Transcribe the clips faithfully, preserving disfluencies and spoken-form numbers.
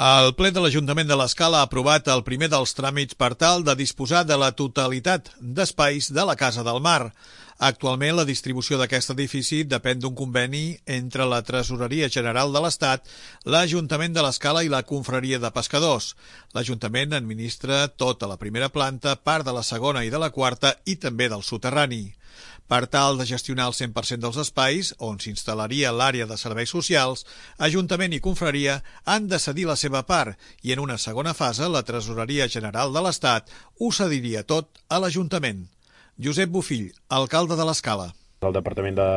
El ple de l'Ajuntament de l'Escala ha aprovat el primer dels tràmits per tal de disposar de la totalitat d'espais de la Casa del Mar. Actualment, la distribució d'aquest edifici depèn d'un conveni entre la Tresoreria General de l'Estat, l'Ajuntament de l'Escala i la Confraria de Pescadors. L'Ajuntament administra tota la primera planta, part de la segona i de la quarta i també del soterrani. Per tal de gestionar el cent per cent dels espais, on s'instal·laria l'àrea de serveis socials, Ajuntament i Confraria han de cedir la seva part i en una segona fase la Tresoreria General de l'Estat ho cediria tot a l'Ajuntament. Josep Bofill, alcalde de l'Escala. El Departament de,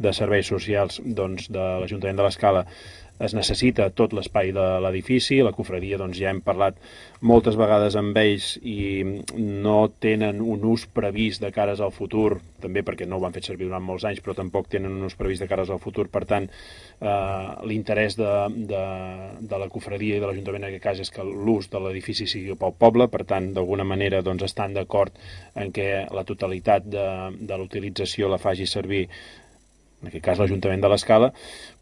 de Serveis Socials doncs, de l'Ajuntament de l'Escala es necessita tot l'espai de l'edifici. La confraria doncs, ja hem parlat moltes vegades amb ells i no tenen un ús previst de cares al futur, també perquè no ho han fet servir durant molts anys, però tampoc tenen un ús previst de cares al futur. Per tant, eh, l'interès de, de, de la confraria i de l'Ajuntament en aquest cas és que l'ús de l'edifici sigui pel poble. Per tant, d'alguna manera doncs, estan d'acord en què la totalitat de, de l'utilització la faci servir en aquest cas l'Ajuntament de l'Escala.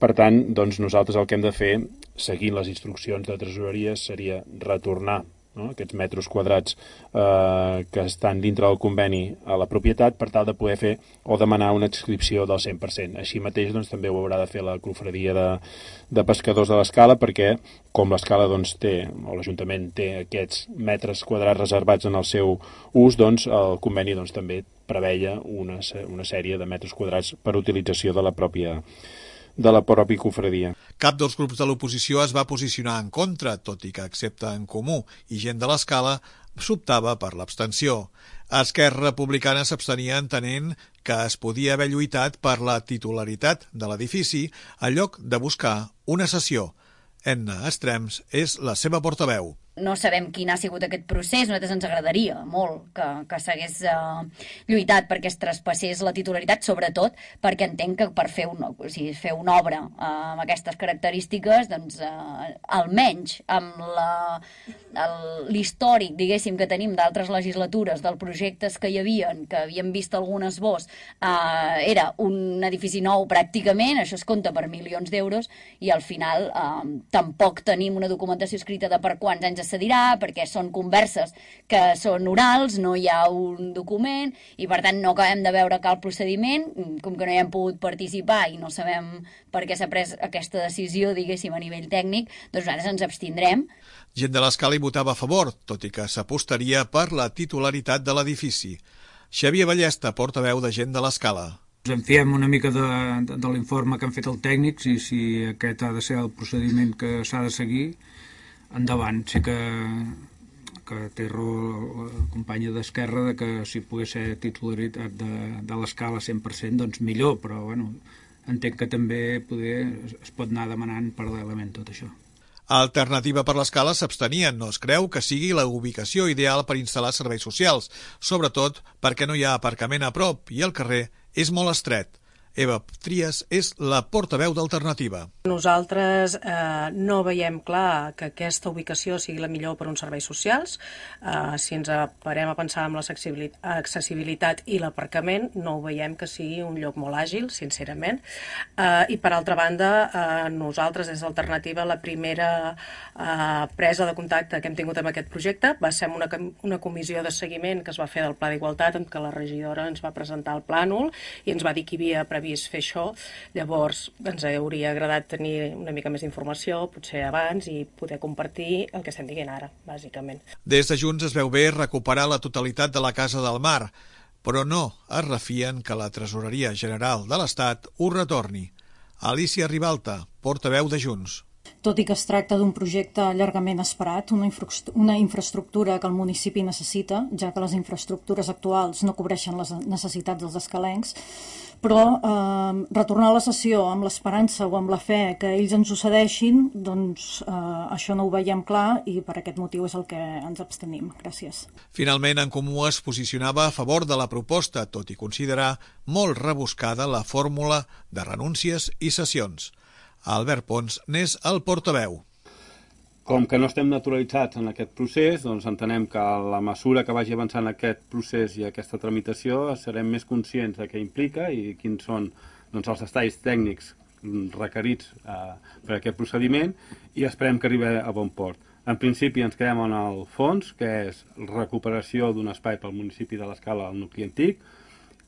Per tant, doncs, nosaltres el que hem de fer, seguint les instruccions de tresoreria, seria retornar no, aquests metres quadrats eh, que estan dintre del conveni a la propietat per tal de poder fer o demanar una adscripció del cent per cent. Així mateix doncs, també ho haurà de fer la confraria de, de pescadors de l'Escala, perquè com l'Escala doncs, té, o l'Ajuntament té aquests metres quadrats reservats en el seu ús, doncs el conveni doncs, també preveia una, una sèrie de metres quadrats per utilització de la pròpia de la pròpia confraria. Cap dels grups de l'oposició es va posicionar en contra, tot i que excepte En Comú i Gent de l'Escala s'optava per l'abstenció. Esquerra Republicana s'abstenia entenent que es podia haver lluitat per la titularitat de l'edifici en lloc de buscar una cessió. Enna Estrems és la seva portaveu. No sabem quin ha sigut aquest procés, a nosaltres ens agradaria molt que, que s'hagués uh, lluitat perquè es traspassés la titularitat, sobretot perquè entenc que per fer, un, o sigui, fer una obra uh, amb aquestes característiques, doncs uh, almenys amb l'històric, diguéssim, que tenim d'altres legislatures, dels projectes que hi havia, que havíem vist algun esbós, uh, era un edifici nou pràcticament, això es compta per milions d'euros, i al final uh, tampoc tenim una documentació escrita de per quants anys es cedirà, perquè són converses que són orals, no hi ha un document i per tant no acabem de veure cap procediment, com que no hi hem pogut participar i no sabem per què s'ha pres aquesta decisió, diguéssim, a nivell tècnic, doncs nosaltres ens abstindrem. Gent de l'Escala hi votava a favor, tot i que s'apostaria per la titularitat de l'edifici. Xavier Ballesta, portaveu de Gent de l'Escala. Ens enfiem una mica de, de, de l'informe que han fet els tècnics i si aquest ha de ser el procediment que s'ha de seguir, endavant. Sé que, que té raó la companya d'Esquerra de que si pogués ser titularitat de, de l'Escala cent per cent, doncs millor, però bueno, entenc que també poder, es pot anar demanant paral·lelament tot això. Alternativa per l'Escala s'abstenien, no es creu que sigui la ubicació ideal per instal·lar serveis socials, sobretot perquè no hi ha aparcament a prop i el carrer és molt estret. Eva Trias és la portaveu d'Alternativa. Nosaltres eh, no veiem clar que aquesta ubicació sigui la millor per uns serveis socials. Eh, si ens parem a pensar en l'accessibilitat i l'aparcament, no ho veiem que sigui un lloc molt àgil, sincerament. Eh, I per altra banda, eh, nosaltres des d'Alternativa, la primera eh, presa de contacte que hem tingut amb aquest projecte va ser una, una comissió de seguiment que es va fer del Pla d'Igualtat, en què la regidora ens va presentar el plànol i ens va dir que hi havia previst fer això. Llavors ens hauria agradat tenir una mica més d'informació, potser abans, i poder compartir el que estem dient ara, bàsicament. Des de Junts es veu bé recuperar la totalitat de la Casa del Mar, però no es refien que la Tresoreria General de l'Estat ho retorni. Alicia Ribalta, portaveu de Junts. Tot i que es tracta d'un projecte llargament esperat, una, infra una infraestructura que el municipi necessita, ja que les infraestructures actuals no cobreixen les necessitats dels escalencs, però eh, retornar a la sessió amb l'esperança o amb la fe que ells ens ho cedeixin, doncs eh, això no ho veiem clar i per aquest motiu és el que ens abstenim. Gràcies. Finalment, En Comú es posicionava a favor de la proposta, tot i considerar molt rebuscada la fórmula de renúncies i cessions. Albert Pons n'és el portaveu. Com que no estem naturalitzats en aquest procés, doncs entenem que a la mesura que vagi avançant aquest procés i aquesta tramitació serem més conscients de què implica i quins són doncs, els detalls tècnics requerits eh, per aquest procediment i esperem que arribi a bon port. En principi ens quedem en el fons, que és recuperació d'un espai pel municipi de l'Escala al nucli antic,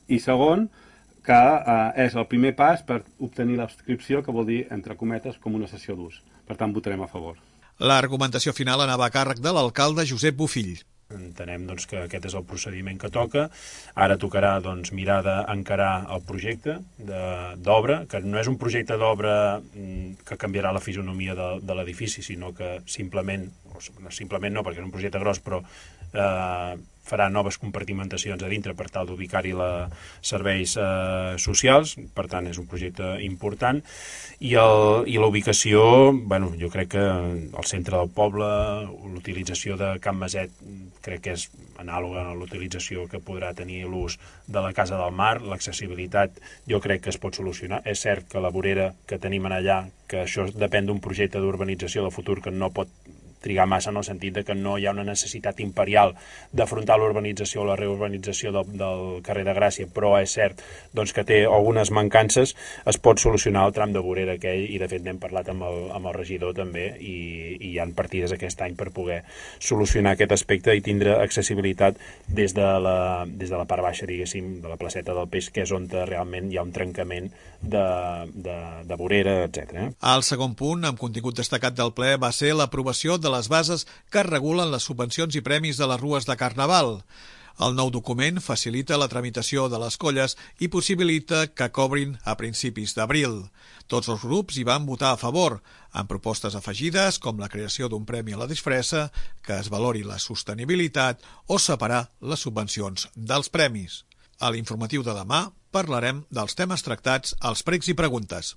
i segon, que eh, és el primer pas per obtenir l'adscripció, que vol dir, entre cometes, com una cessió d'ús. Per tant, votarem a favor. L'argumentació final anava a càrrec de l'alcalde Josep Bofill. Entenem doncs, que aquest és el procediment que toca. Ara tocarà doncs, mirar d'encarar el projecte d'obra, que no és un projecte d'obra que canviarà la fisonomia de, de l'edifici, sinó que simplement, o simplement no, perquè és un projecte gros, però eh, farà noves compartimentacions a dintre per tal d'ubicar-hi serveis eh, socials, per tant és un projecte important, i, el, i la ubicació, bueno, jo crec que al centre del poble, l'utilització de Can Maset crec que és anàloga a l'utilització que podrà tenir l'ús de la Casa del Mar, l'accessibilitat jo crec que es pot solucionar. És cert que la vorera que tenim allà, que això depèn d'un projecte d'urbanització de futur que no pot trigar massa en el sentit de que no hi ha una necessitat imperial d'afrontar l'urbanització o la reurbanització del, del carrer de Gràcia, però és cert doncs, que té algunes mancances, es pot solucionar el tram de vorera aquell, i de fet n'hem parlat amb el, amb el regidor també, i, i hi ha partides aquest any per poder solucionar aquest aspecte i tindre accessibilitat des de la, des de la part baixa, diguéssim, de la placeta del Peix, que és on realment hi ha un trencament de, de, de vorera, etcètera. El segon punt, amb contingut destacat del ple, va ser l'aprovació de les bases que regulen les subvencions i premis de les rues de Carnaval. El nou document facilita la tramitació de les colles i possibilita que cobrin a principis d'abril. Tots els grups hi van votar a favor, amb propostes afegides com la creació d'un premi a la disfressa, que es valori la sostenibilitat o separar les subvencions dels premis. A l'informatiu de demà parlarem dels temes tractats als pregs i preguntes.